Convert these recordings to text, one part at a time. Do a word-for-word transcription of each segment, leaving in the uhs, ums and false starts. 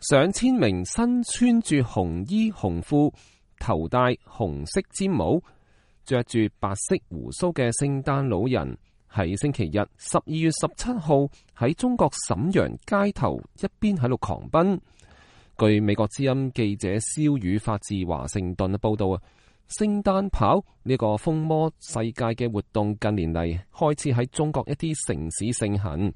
上千名身穿住紅衣紅褲、頭戴紅色尖帽、着住白色鬍鬚嘅聖誕老人，喺星期日十二月十七號喺中國瀋陽街頭一邊喺度狂奔。據美國之音記者蕭宇發自華盛頓嘅報道啊，聖誕跑呢個風魔世界嘅活動近年嚟開始喺中國一啲城市盛行。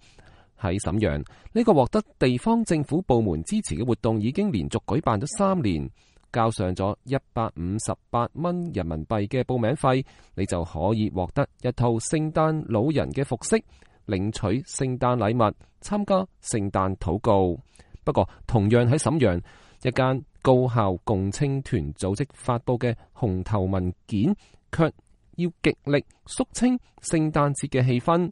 喺瀋陽，呢個獲得地方政府部門支持嘅活動已經連續舉辦咗三年，交上咗一百五十八蚊人民幣嘅報名費，你就可以獲得一套聖誕老人嘅服飾，領取聖誕禮物，參加聖誕禱告。不過，同樣喺瀋陽，一間高校共青團組織發佈嘅紅頭文件，卻要極力肅清聖誕節嘅氣氛。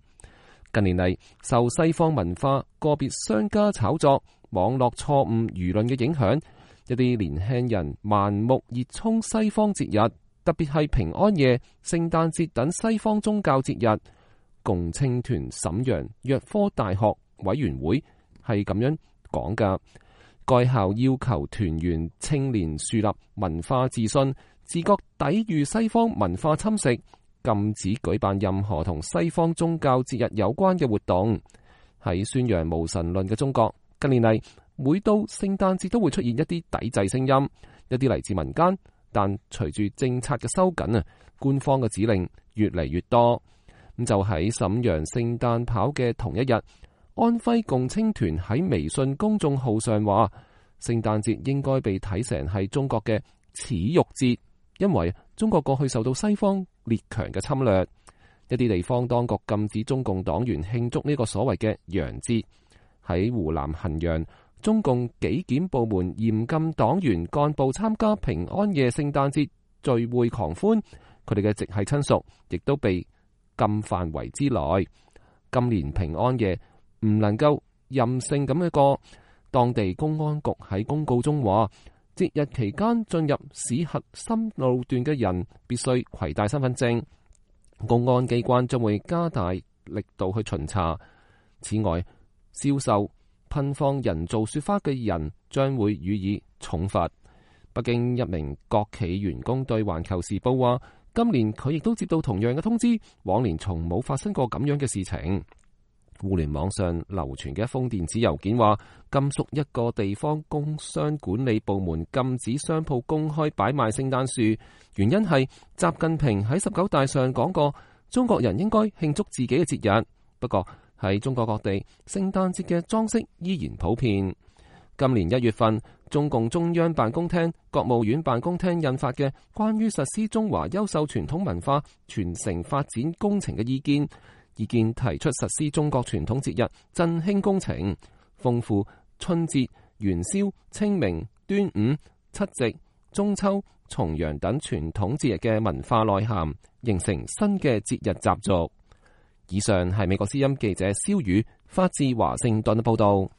近年嚟，受西方文化個別商家炒作、網絡錯誤輿論嘅影響，一啲年輕人盲目熱衷西方節日，特別係平安夜、聖誕節等西方宗教節日。共青團瀋陽藥科大學委員會係咁樣講噶，該校要求團員青年樹立文化自信，自覺抵禦西方文化侵蝕，禁止舉辦任何同西方宗教節日有關嘅活動。喺宣揚無神論嘅中國，近年嚟每到聖誕節都會出現一啲抵制聲音，一啲嚟自民間，但隨住政策嘅收緊啊，官方嘅指令越嚟越多。咁就喺瀋陽聖誕跑嘅同一日，安徽共青團喺微信公眾號上話，聖誕節應該被睇成係中國嘅恥辱節，因為中國過去受到西方列強嘅侵略。一啲地方當局禁止中共黨員慶祝呢個所謂嘅洋節。喺湖南衡陽，中共紀檢部門嚴禁黨員幹部參加平安夜聖誕節聚會狂歡，佢哋嘅直系親屬亦都被禁範圍之內。今年平安夜唔能夠任性咁一個，當地公安局喺公告中話，節日期間進入市核心路段嘅人必須攜帶身份證，公安機關將會加大力度去巡查。此外，銷售、噴放人造雪花嘅人將會予以重罰。北京一名國企員工對環球時報話，今年佢亦都接到同樣嘅通知，往年從冇發生過咁樣嘅事情。互聯網上流傳嘅一封電子郵件話，甘肅一個地方工商管理部門禁止商鋪公開擺賣聖誕樹，原因係習近平喺十九大上講過，中國人應該慶祝自己嘅節日。不過喺中國各地，聖誕節嘅裝飾依然普遍。今年一月份，中共中央辦公廳、國務院辦公廳印發嘅關於實施中華優秀傳統文化傳承發展工程嘅意見。意見提出實施中國傳統節日振興工程，豐富春節、元宵、清明、端午、七夕、中秋、重陽等傳統節日嘅文化內涵，形成新嘅節日習俗。以上係美國之音記者蕭宇發自華盛頓嘅報道。